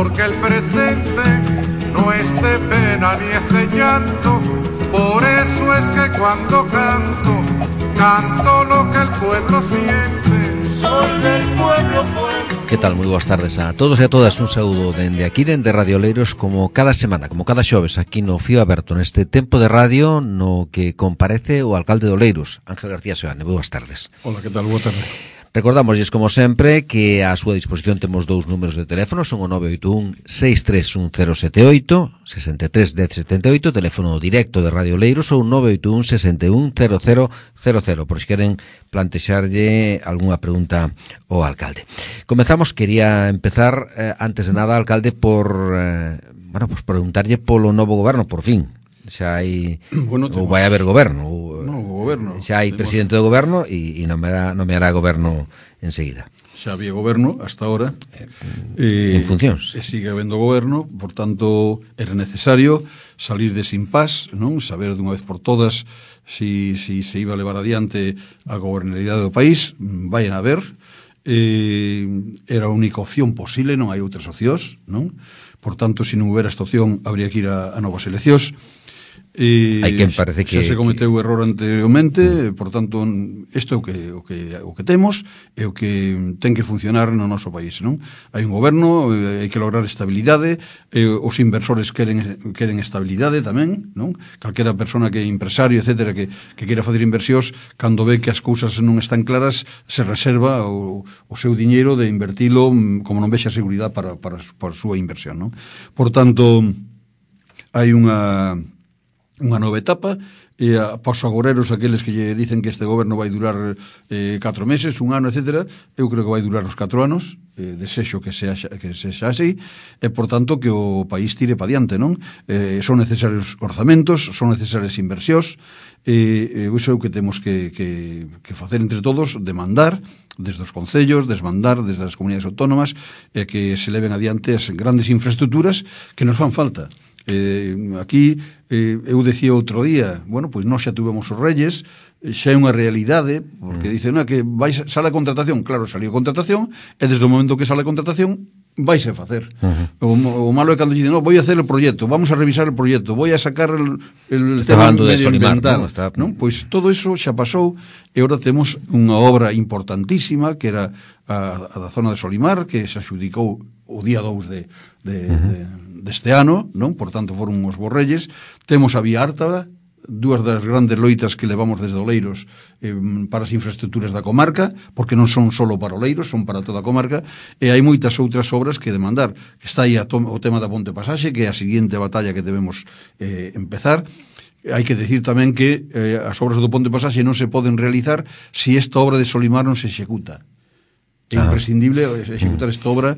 porque el presente no es de pena ni es de llanto. Por eso es que cuando canto, canto lo que el pueblo siente. Soy del pueblo, pueblo. Que tal? Moi boas tardes a todos e a todas. Un saúdo dende aquí, dende Radio Oleiros, como cada semana, como cada xoves, aquí no Fío Aberto, neste tempo de radio no que comparece o alcalde de Oleiros, Ángel García Seoane. Boas tardes. Hola, que tal? Boa tarde. Recordamosles, como sempre, que a súa disposición temos dous números de teléfono, son o 981-631-078, 63-1078, teléfono directo de Radio Oleiros, ou 981-61-0000, por se queren plantexarlle algunha pregunta ao alcalde. Comezamos, quería empezar, antes de nada, alcalde, por preguntarlle polo novo goberno, por fin. Xa hai, ou vai haber goberno, xa hai presidente do goberno e nomeará goberno enseguida. Xa había goberno hasta ahora en funcións. E sigue habendo goberno, por tanto era necesario salir dese impasse, non? Saber dunha vez por todas se iba a levar adiante a gobernabilidade do país. Vayan a ver, era a única opción posible, non hai outras opcións, non? Por tanto, se non houbera esta opción, habría que ir a novas eleccións. Hai quen parece que xa se cometeu error anteriormente, por tanto isto é o que temos e o que ten que funcionar no noso país, non? Hai un goberno, hai que lograr estabilidade, os inversores queren estabilidade tamén, non? Calquera persona que é empresario, etcétera, que queira facer inversións, cando ve que as cousas non están claras, se reserva o seu diñeiro de invertilo como non vexa seguridade para a súa inversión, non? Por tanto, hai unha nova etapa, e paos agoreros aqueles que lle dicen que este goberno vai durar 4 meses, un ano, etcétera, eu creo que vai durar os 4 anos, desexo que sexa así, e por tanto que o país tire pa diante, non? Son necesarios orzamentos, son necesarias inversións, e iso é o que temos que facer entre todos, demandar desde os concellos, desde as comunidades autónomas, e que se leven adiante as grandes infraestructuras que nos fan falta. Aquí eu decía outro día, pois nós xa tuvemos os Reyes, xa é unha realidade, porque dicen que sale a contratación. Claro, salió a contratación, e desde o momento que sale a contratación vaise a facer. O malo é cando dicen, voy a hacer el proyecto, vamos a revisar el proyecto, voy a sacar el tema medioambiental, non? Pois todo iso xa pasou, e agora temos unha obra importantísima que era a da zona de Solimar, que se adxudicou o día 2 deste ano, non? Por tanto foron os Borrelles. Temos a Vía Ártaba, dúas das grandes loitas que levamos desde Oleiros para as infraestructuras da comarca, porque non son solo para Oleiros, son para toda a comarca, e hai moitas outras obras que demandar. Está aí o tema da Ponte Pasaxe, que é a seguinte batalla que debemos empezar. Hai que decir tamén que as obras do Ponte Pasaxe non se poden realizar se esta obra de Solimar non se executa. É imprescindible executar esta obra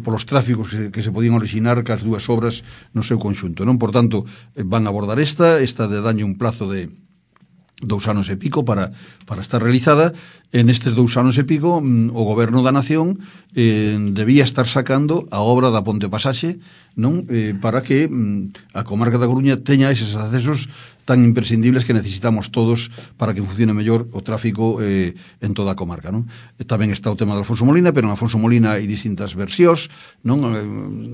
polos tráficos que se podían orixinar cas dúas obras no seu conxunto, non? Por tanto, van a abordar esta de daño un plazo de 2 anos e pico para estar realizada. En estes 2 anos e pico o Goberno da Nación debía estar sacando a obra da Ponte Pasaxe, non? Para que a comarca da Coruña teña eses accesos tan imprescindibles que necesitamos todos para que funcione mellor o tráfico en toda a comarca, non? Tamén está o tema de Alfonso Molina, pero en Alfonso Molina hai distintas versións, non?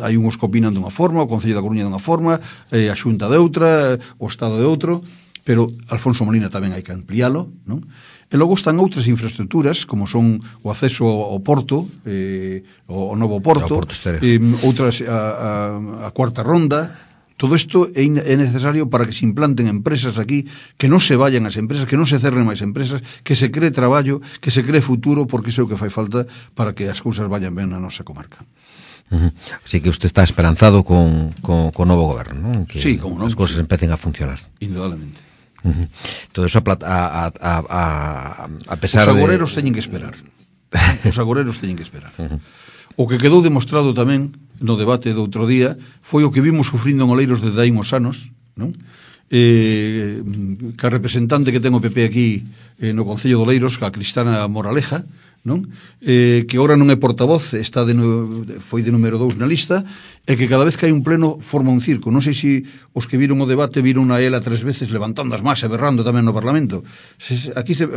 Hai uns que opinan dunha forma, o Concello da Coruña dunha forma, a Xunta de outra, o Estado de outro, pero Alfonso Molina tamén hai que ampliálo, non? E logo están outras infraestructuras, como son o acceso ao porto, o novo porto, outras a cuarta ronda. Todo isto é necesario para que se implanten empresas aquí, que non se vayan as empresas, que non se cerren máis empresas, que se cree traballo, que se cree futuro, porque iso é o que fai falta para que as cousas vayan ben na nosa comarca. Así que usted está esperanzado con o novo goberno, non? Que sí, como non, as cousas empecen a funcionar. Indudablemente. Todo eso a pesar de... Os agoreros teñen que esperar. Os agoreros teñen que esperar. O que quedou demostrado tamén no debate do outro día foi o que vimos sufrindo en Oleiros desde hai uns anos, non? Que a representante que ten o PP aquí no Concello de Oleiros, a Cristana Moraleja, non? Que ora non é portavoz, foi de número 2 na lista, e que cada vez que hai un pleno forma un circo. Non sei se os que viron o debate viron a ela 3 veces levantando as más e berrando tamén no Parlamento.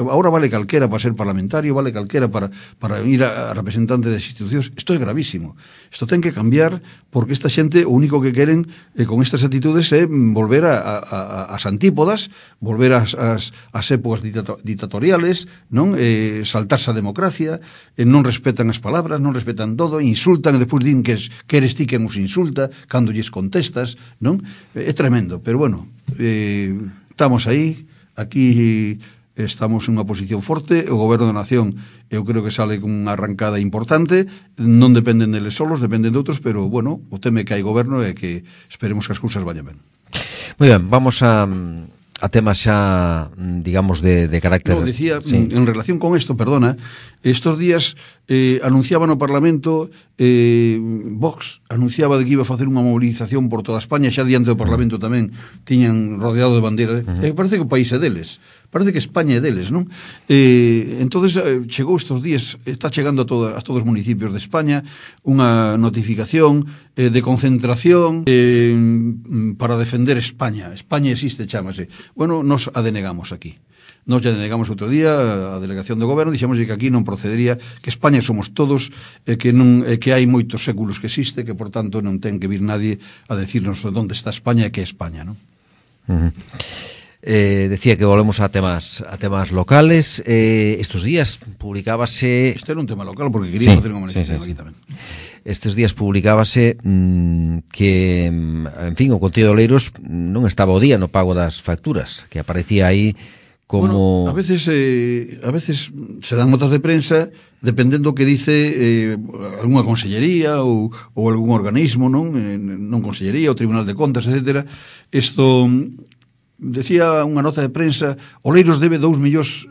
Ahora vale calquera para ser parlamentario, vale calquera para ir a representante das institucións. Isto é gravísimo. Isto ten que cambiar, porque esta xente o único que queren con estas actitudes é volver ás antípodas, volver ás épocas ditatoriales, non? Saltarse a democracia, non respetan as palabras, non respetan todo, insultan e despois din que eres ti quen os insulta cando lles contestas, non? É tremendo, pero bueno, estamos aí, aquí estamos en unha posición forte, o goberno da nación eu creo que sale con unha arrancada importante, non dependen deles solos, dependen de outros, pero bueno, o teme que hai goberno e que esperemos que as cousas vayan ben. Moi ben, vamos a temas xa, digamos, de carácter... No, decía, sí. En relación con esto, perdona, estos días anunciaba no Parlamento, Vox anunciaba de que iba a facer unha movilización por toda España, xa diante do Parlamento tamén tiñan rodeado de bandeira, parece que o país é deles, parece que España é deles, non? Entonces chegou estes días, está chegando a todos os municipios de España unha notificación de concentración para defender España. España existe, chámase. Bueno, nos a denegamos aquí. Nos ya denegamos outro día a delegación do goberno, dixemos que aquí non procedería, que España somos todos, que hai moitos séculos que existe, que por tanto non ten que vir nadie a decirnos onde está España e que é España, non? Decía que volvemos a temas locales. Estos días publicábase... Este era un tema local, porque quería facer unha manifestación aquí tamén. Estes días publicábase que, en fin, o Concello de Oleiros non estaba o día no pago das facturas, que aparecía aí como... Bueno, a veces se dan notas de prensa dependendo que dice algunha consellería ou algún organismo, non consellería, o Tribunal de Contas, etcétera. Isto... Decía unha nota de prensa, Oleiros debe 2 millóns,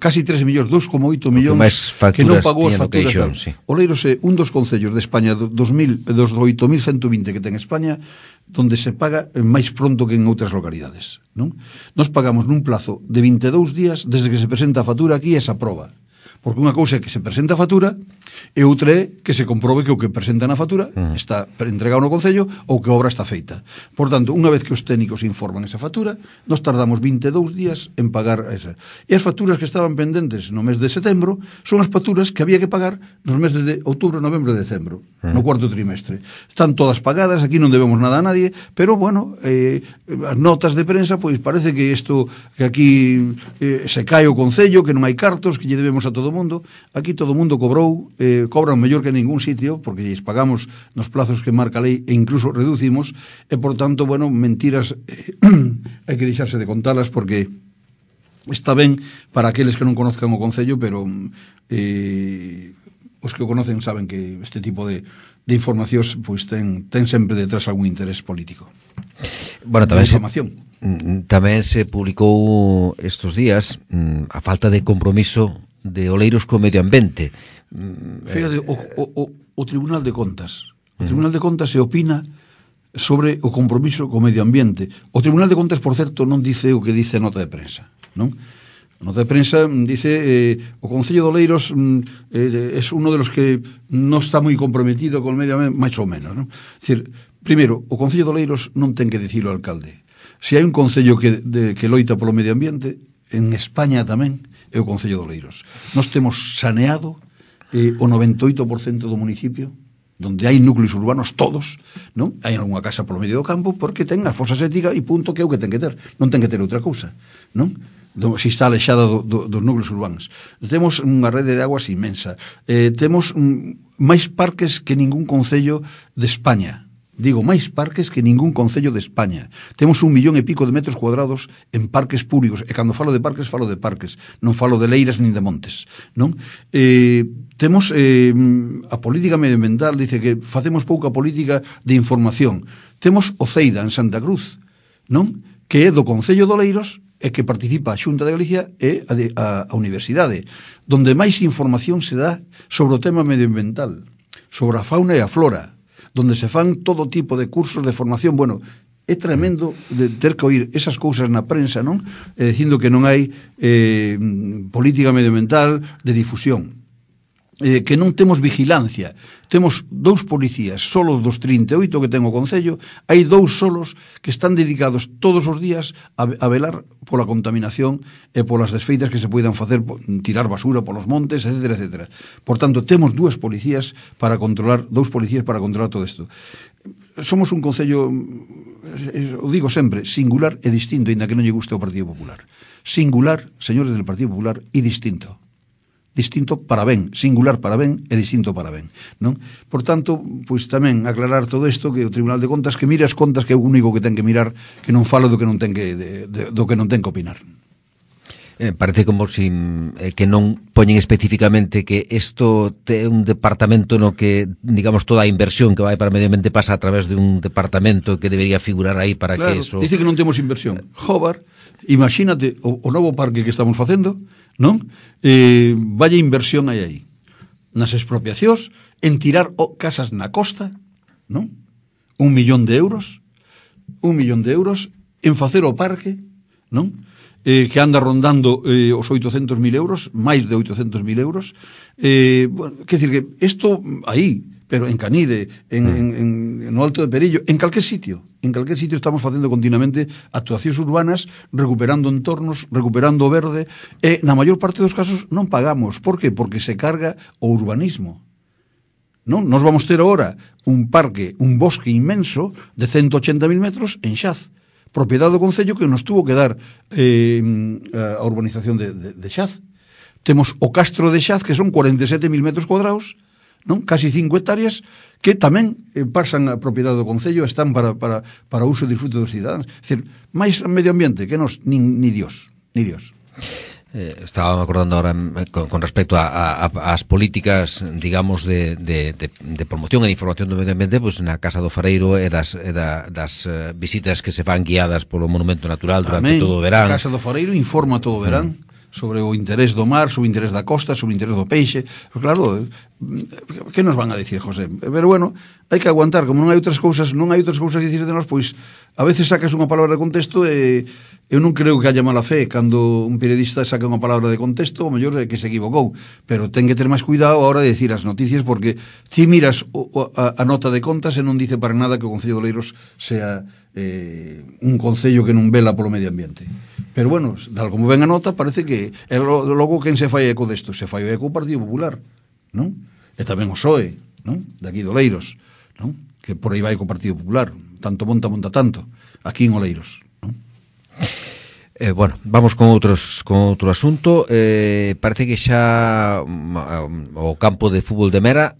casi 3 millóns, 2,8 millóns que non pagou as facturas. Sí. Oleiros é un dos concellos de España dos 8.120 que ten España, donde se paga máis pronto que en outras localidades, non? Nos pagamos nun plazo de 22 días desde que se presenta a factura aquí e se aproba. Porque unha cousa é que se presenta a factura e outra é que se comprobe que o que presenta na factura está entregado no Concello ou que a obra está feita. Por tanto, unha vez que os técnicos informan esa factura, nos tardamos 22 días en pagar esa. E as facturas que estaban pendentes no mes de setembro son as facturas que había que pagar nos meses de outubro, novembro e decembro, no cuarto trimestre. Están todas pagadas, aquí non debemos nada a nadie, pero, bueno, as notas de prensa, pois parece que isto, que aquí se cae o Concello, que non hai cartos, que lle debemos a todo o mundo. Aquí todo o mundo cobrou, cobran mellor que en ningún sitio, porque lles pagamos nos plazos que marca a lei e incluso reducimos, e por tanto, bueno, mentiras hai que deixarse de contalas, porque está ben para aqueles que non conozcan o Concello, pero os que o conocen saben que este tipo de informacións pois ten sempre detrás algún interés político. Bueno, tamén se publicou estes días a falta de compromiso de Oleiros co medio ambiente. Fíjate, o Tribunal de Contas. O Tribunal de Contas se opina sobre o compromiso co medio ambiente. O Tribunal de Contas, por certo, non dice o que dice a nota de prensa, non? A nota de prensa dice o Concello de Oleiros é uno de los que non está moi comprometido con o medio ambiente, máis ou menos, non? É dicir, primeiro, o Concello de Oleiros non ten que dicir o alcalde. Se hai un Concello que loita polo medio ambiente, en España tamén, é o Concello de Oleiros. Nós temos saneado o 98% do municipio, donde hai núcleos urbanos todos, non? Hai algunha casa polo medio do campo porque ten a fosa séptica e punto, que é o que ten que ter. Non ten que ter outra cousa, non? Se está alexada dos núcleos urbanos. Temos unha rede de aguas inmensa. Temos máis parques que ningún concello de España. Digo, máis parques que ningún concello de España. Temos 1,5 millón de metros cuadrados en parques públicos, e cando falo de parques, non falo de leiras nin de montes, non? Temos a política medioambiental, dice que facemos pouca política de información. Temos o CEIDA en Santa Cruz, non? Que é do Concello de Oleiros e que participa a Xunta de Galicia e a Universidade, donde máis información se dá sobre o tema medioambiental, sobre a fauna e a flora, donde se fan todo tipo de cursos de formación. Bueno, é tremendo de ter que oír esas cousas na prensa, non? Dicindo que non hai política medioambiental de difusión. que non temos vigilancia. Temos 2 policías, solo dos 38 que ten o Concello, hai 2 solos que están dedicados todos os días a velar pola contaminación e polas desfeitas que se poidan facer, tirar basura polos montes, etcétera, etcétera. Por tanto, temos 2 policías para controlar, 2 policías para controlar todo isto. Somos un Concello, o digo sempre, singular e distinto, ainda que non lle guste o Partido Popular. Singular, señores del Partido Popular, e distinto. Distinto para ben, singular para ben e distinto para ben, non? Por tanto, pois tamén aclarar todo isto, que o Tribunal de Contas que mire as contas, que é o único que ten que mirar, que non falo do que non ten que do que non ten que opinar. Parece como si que non poñen especificamente que isto é un departamento no que, digamos, toda a inversión que vai para medio ambiente pasa a través de un departamento que debería figurar aí para claro, que eso... Dice que non temos inversión. Jobar, imagínate o novo parque que estamos facendo, non? Vaya inversión hai aí. Nas expropiacións, en tirar casas na costa, non? 1 millón de euros, en facer o parque, non? Que anda rondando os 800.000 euros, máis de 800.000 euros. Bueno, quer dicir que isto aí, pero en Canide, no Alto de Perillo, en calquer sitio estamos facendo continuamente actuacións urbanas, recuperando entornos, recuperando o verde, e na maior parte dos casos non pagamos. Por qué? Porque se carga o urbanismo. Non? Nos vamos ter agora un parque, un bosque inmenso de 180.000 metros en Xaz, propiedade do Concello, que nos tuvo que dar a urbanización de Xaz. Temos o Castro de Xaz, que son 47.000 metros cuadrados, non? Casi 5 hectáreas, que tamén pasan a propiedade do Concello, están para uso e disfrute dos cidadáns. É dicir, máis medio ambiente que nos, ni Dios. Estaba acordando ahora con respecto ás políticas, digamos, de promoción e de información do medio ambiente, pues na Casa do Fareiro e das visitas que se fan guiadas polo Monumento Natural durante todo o verán. A Casa do Fareiro informa todo o verán sobre o interés do mar, sobre o interés da costa, sobre o interés do peixe. Pues claro, que nos van a dicir, José? Pero bueno, hai que aguantar, como non hai outras cousas que dicir de nós, pois a veces sacas unha palabra de contexto e eu non creo que haya mala fe cando un periodista saca unha palabra de contexto, o mellor é que se equivocou, pero ten que ter máis cuidado a hora de dicir as noticias, porque si miras a nota de contas e non dice para nada que o Concello de Oleiros sea un concello que non vela polo medio ambiente. Pero bueno, tal como ven a nota, parece que logo quen se fai eco desto? Se fai o eco o Partido Popular, non? E tamén o PSOE, non? De aquí de Oleiros, non? Que por aí vai co Partido Popular, tanto monta tanto, aquí en Oleiros. Bueno, vamos con outro asunto. Parece que xa o campo de fútbol de Mera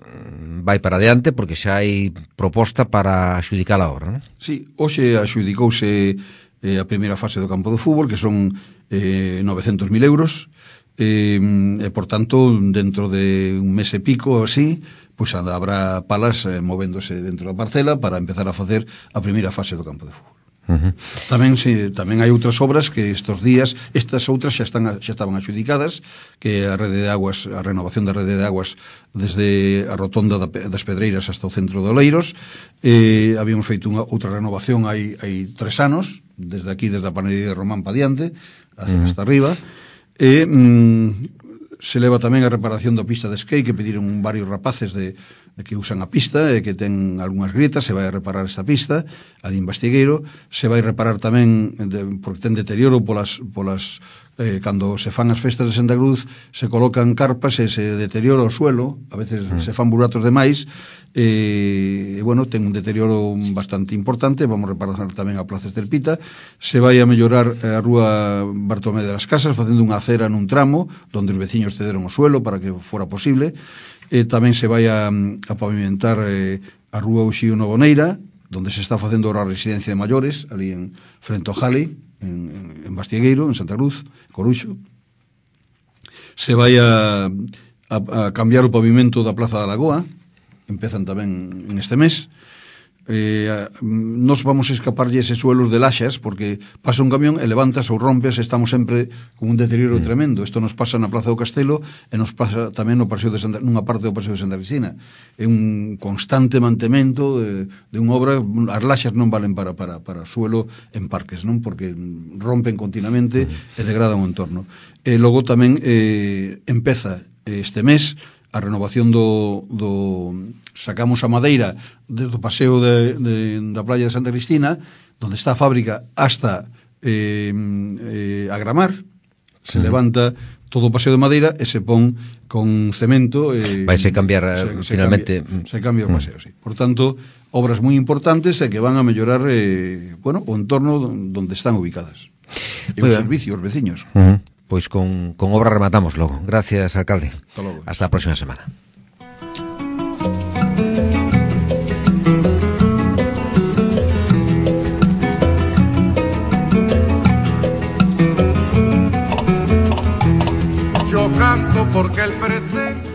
vai para adiante, porque xa hai proposta para adxudicar a obra, non? Sí, hoxe adxudicouse a primeira fase do campo de fútbol, que son 900.000 euros, e por tanto, dentro de un mes e pico así, pois habrá palas movéndose dentro da parcela para empezar a facer a primeira fase do campo de fútbol. Tamén hai outras obras que estes días, estas outras xa estaban adxudicadas, que a rede de aguas, a renovación da rede de aguas desde a rotonda das Pedreiras hasta o centro de Oleiros. Habíamos feito outra renovación hai 3 anos, desde aquí, desde a panadería de Román pa diante, hasta arriba, e se leva tamén a reparación da pista de skate, que pediron varios rapaces de que usan a pista e que ten algunhas grietas. Se vai a reparar esta pista ali en Bastigueiro. Se vai reparar tamén porque ten deterioro polas cando se fan as festas de Santa Cruz, se colocan carpas e se deteriora o suelo, a veces se fan buratos demais, e bueno, ten un deterioro bastante importante. Vamos a reparar tamén a Plaza Estelpita. Se vai a mellorar a rúa Bartolomé de las Casas, facendo unha acera nun tramo donde os veciños cederon o suelo para que fora posible. Tamén se vai a pavimentar a rúa Uxío Novoneira, donde se está facendo a residencia de maiores, ali en frente ao Jali, en Bastiegueiro, en Santa Cruz, Coruxo. Se vai a cambiar o pavimento da Plaza da Lagoa, empezan tamén en este mes. Nos vamos a escaparlle ese suelos de laxas, porque pasa un camión e levantas ou rompes, estamos sempre con un deterioro tremendo. Isto nos pasa na Plaza do Castelo e nos pasa tamén no paseo nunha parte do paseo de Santa Cristina. É un constante mantemento de unha obra. As laxas non valen para suelo en parques, non? Porque rompen continuamente e degradan o entorno. E logo tamén empeza este mes a renovación sacamos a madeira do paseo da playa de Santa Cristina, donde está a fábrica, hasta a Gramar, se levanta todo o paseo de madeira e se pon con cemento. Vaise cambiar finalmente. Se cambia o paseo, sí. Por tanto, obras moi importantes e que van a mellorar o entorno onde están ubicadas. E o servicio, os veciños. Pois con obra rematamos logo. Gracias, alcalde. Hasta logo. Hasta a próxima semana. Yo canto porque el presente